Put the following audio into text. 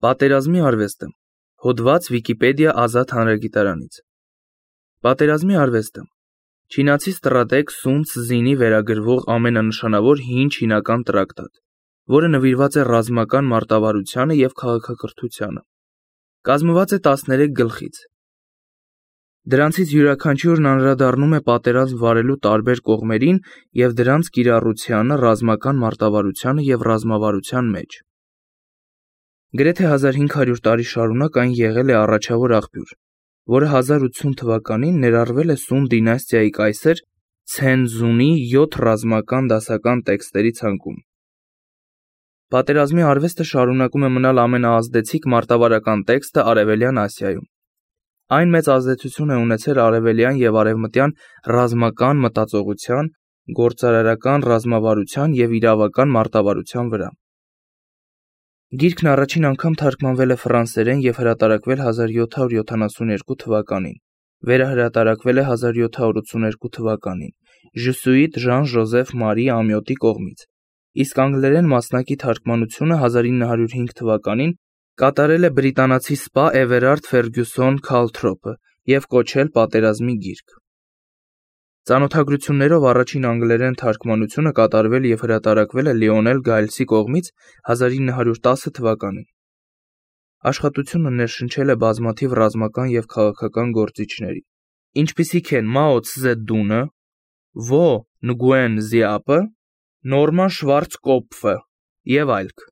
Պատերազմի արվեստը։ Հոդված Վիկիպեդիա ազատ հանրագիտարանից։ Պատերազմի արվեստը չինացի ստրատեգ Սուն Ցզինի վերագրվող ամենանշանավոր հին չինական տրակտատ, որը նվիրված է ռազմական մարտավարությանը և քաղաքակրթությանը։ Կազմված է 13 գլխից։ Դրանցից յուրաքանչյուրն անդրադառնում է պատերազմ վարելու տարբեր կողմերին և դրանց կիրառությանը ռազմական մարտավարությանը և ռազմավարության մեջ։ Գրեթե 1500 տարի շարունակ այն եղել է առաջավոր աղբյուր, որը 1080 թվականին ներառվել է Սուն դինաստիայի կայսր Ցենզունի 7 ռազմական դասական տեքստերի ցանկում։ Պատերազմի արվեստը շարունակում է մնալ ամենաազդեցիկ մարտավարական տեքստը Արևելյան Ասիայում։ Այն մեծ ազդեցություն է ունեցել արևելյան և արևմտյան ռազմական մտածողության, գործարարական ռազմավարության և իրավական մարտավարության վրա։ Գիրքն առաջին անգամ թարգմանվել է ֆրանսերեն և հրատարակվել 1772 թվականին, վերահրատարակվել է 1782 թվականին Ժսուիտ Ժան-Ժոզեֆ Մարի Ամյոտի կողմից, իսկ անգլերեն մասնակի թարգմանությունը 1905 թվականին կատարել է բրիտանացի սպա Էվերարդ Ֆերգյուսոն Քալթրոփը և կոչել «Պատերազմի գիրք»։ Ծանոթագրություններով առաջին անգլերեն թարգմանությունը կատարվել և հրատարակվել է Լիոնել Գայլսի կողմից 1910 թվականին։ Աշխատությունը ներշնչել է բազմաթիվ ռազմական և քաղաքական գործիչների, ինչպիսիք են Մաո Ցզեդունը, Վո Նգուեն Զիապը, Նորման Շվարցկոպֆը և այլք։